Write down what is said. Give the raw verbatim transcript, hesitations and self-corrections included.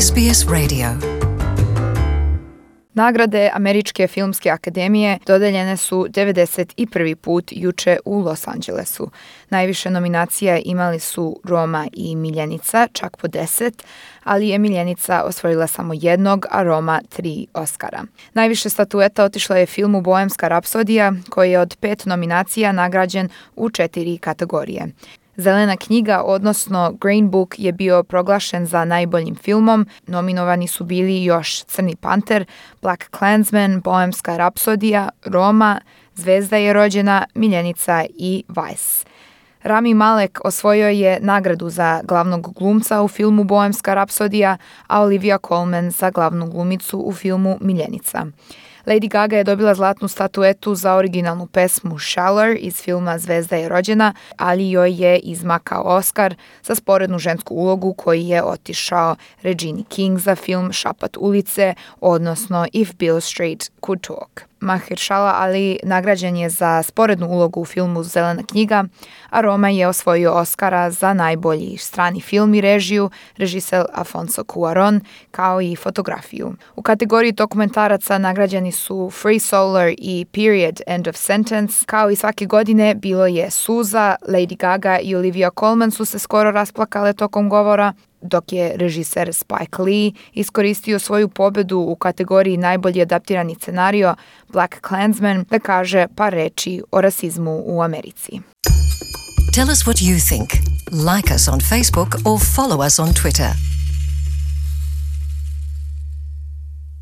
S B S Radio. Nagrade Američke filmske akademije dodeljene su devedeset prvi put juče u Los Angelesu. Najviše nominacija imali su Roma i Miljenica, čak po deset, ali je Miljenica osvojila samo jednog, a Roma tri Oscara. Najviše statueta otišla je filmu Bohemska rapsodija, koji je od pet nominacija nagrađen u četiri kategorije. Zelena knjiga, odnosno Green Book, je bio proglašen za najboljim filmom. Nominovani su bili još Crni panter, Black Klansman, Bohemska rapsodija, Roma, Zvezda je rođena, Miljenica i Vice. Rami Malek osvojio je nagradu za glavnog glumca u filmu Bohemska rapsodija, a Olivia Colman za glavnu glumicu u filmu Miljenica. Lady Gaga je dobila zlatnu statuetu za originalnu pesmu Shallow iz filma Zvezda je rođena, ali joj je izmakao Oscar za sporednu žensku ulogu koji je otišao Regini King za film Šapat ulice, odnosno If Beale Street Could Talk. Mahershala Ali nagrađen je za sporednu ulogu u filmu Zelena knjiga, a Roma je osvojio Oscara za najbolji strani film i režiju, režiser Alfonso Cuarón, kao i fotografiju. U kategoriji dokumentaraca nagrađeni su Free Solar i Period End of Sentence. Kao i svake godine bilo je suza, Lady Gaga i Olivia Colman su se skoro rasplakale tokom govora, dok je režiser Spike Lee iskoristio svoju pobedu u kategoriji najbolji adaptirani scenario Black Klansman da kaže par reči o rasizmu u Americi. Tell us what you think. Like us on Facebook or follow us on Twitter.